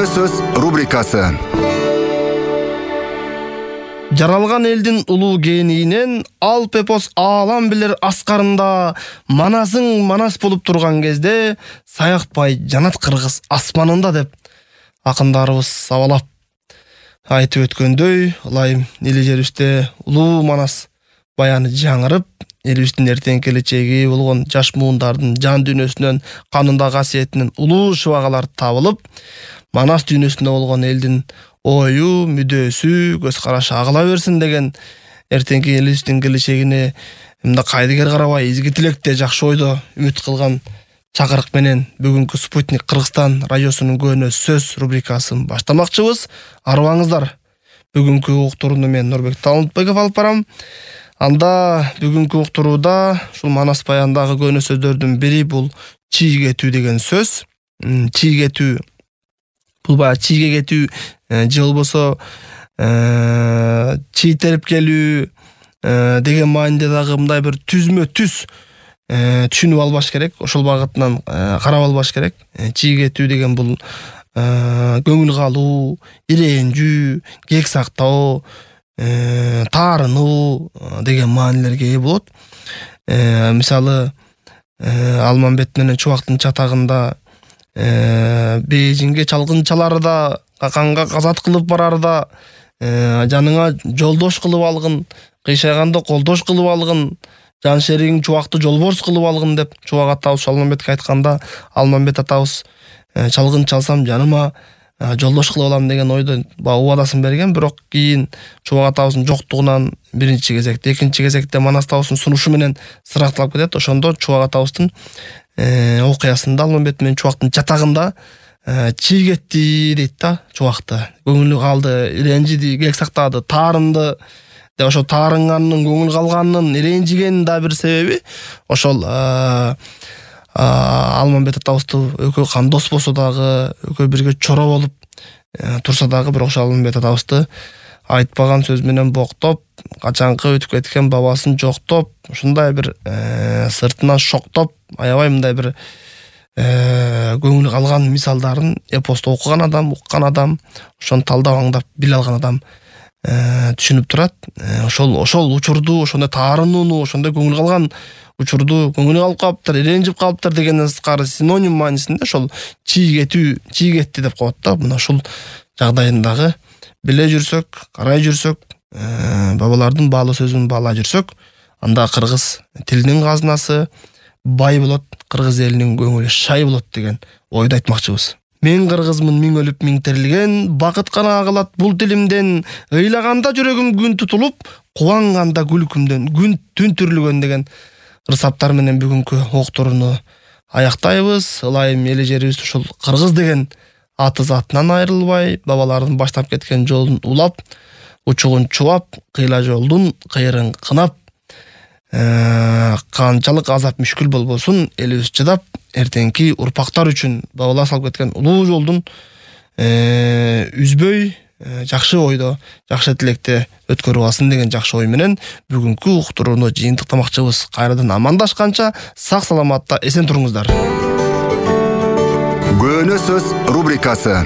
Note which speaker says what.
Speaker 1: Көңүл сөз рубрикасы.
Speaker 2: Жаралган элдин улуу генийинен алп эпос аалам билер аскарында манасың манас болуп турган кезде саякпай жанат кыргыз асманында деп акындарыбыз сабалап айтып өткөндөй, ылайым эли жерибизде улуу манас баяны жаңырып, элибиздин эртең келечеги болгон жаш муундардын жан дүйнөсүнөн, канында касиетинен улуу шыбагалар табылып, манас дүйнөсүндө болгон элдин ою, мүдөөсү, көз карашы агыла берсин деген эртеңки элибиздин келечегине мындай кайдыгер карабай изги тилекте жакшы ойдо үмүт кылган чакырык менен бүгүнкү Спутник Кыргызстан радиосунун көөнө сөз рубрикасын баштамакчыбыз. Арыбаңыздар. Бүгүнкү уктурууну мен Нурбек Талантбеков алып барам. Анда бүгүнкү уктурууда ушул манас баяндагы көөнө сөздөрдүн бири бул чийгетүү деген сөз. Чийгетүү бул баягы чийге кетүү же болбосо чийтерип келүү деген мааниде дагы мындай бир түзмө түз түшүнүп албаш керек. Ошол багытынан карап албаш керек. Чийгетүү деген бул көңүл калуу, ирэнжүү, кек сактоо, таарынуу деген маанилерге ээ болот. Мисалы, Алмамбет менен Чубактын чатагында бейжиңге чалгынчалары да, каканга казат кылып барары да, жаныңа жолдош кылып алгын, кыйшайганда колдош кылып алгын, жан шеригиң Чубакты жолборс кылып алгын деп Чубак атабыз Алмамбетке айтканда, Алмамбет атабыз чалгын чалсам жаныма жолдош кылып алам деген ойдо убадасын берген. Бирок кийин Чубак атабыздын жоктугунан биринчи кезекте, экинчи кезекте Манас атабыздын сунушу менен сыракталып кетет. Ошондо Чубак атабыздын окуясында Алмамбет менен Чубактын чатагында чийгетти дейт да Чубакты. Көңүлү калды, ирэнжиди, кек сактады, таарынды. Ошо таарынганын, көңүл калганынын, ирэнжигенин да бир себеби ошол Алмамбет атабызды экөө кандос болсо дагы, экөө бирге чора болуп турса дагы, бирок ошол Алмамбет атабызды айтпаган сөз менен боктоп, качанкы өтүп кеткен бабасын жоктоп, ушундай бир сыртынан шоктоп, аябай мындай бир көңүл калган мисалдарын эпосту окуган адам, уккан адам, ошону талдап аңдап биле алган адам түшүнүп турат. Ошол учурду, ошондой таарынууну, ошондой көңүл калган учурду көңүлү калып калыптыр, ирэнжип калыптыр дегенден сырткары синоним маанисинде ошол чийгетүү, чийгетти деп коет да. Мына ушул жагдайын дагы биле жүрсөк, карай жүрсөк, бабалардын баалуу сөзүн баалай жүрсөк, анда кыргыз тилинин казынасы бай болот, кыргыз элинин көңүлү шай болот деген ойду айтмакчыбыз. Мен кыргызмын, миң өлүп миң тирилген, бакыт гана агылат бул тилимден, ыйлаганда жүрөгүм күн тутулуп, кубанганда күлкүмдөн күн түн түрүлгөн деген ырсаптар менен бүгүнкү уктурууну аяктайбыз. Ылайым эли жерибиз ушул кыргыз деген аты затынан айрылбай, бабалардын баштап кеткен жолун улап, учугун чубап, кыйла жолдун кыйрын кынап, канчалык азап мүшкүл болбосун элибиз чыдап, эртеңки урпактар үчүн бабалар салып кеткен улуу жолдун үзбөй, жакшы ойдо, жакшы тилекте өткөрүп алсын деген жакшы ой менен бүгүнкү уктурууну жыйынтыктамакчыбыз. Кайрадан амандашканча сак саламатта эсен туруңуздар.
Speaker 1: Көөнө сөз рубрикасы.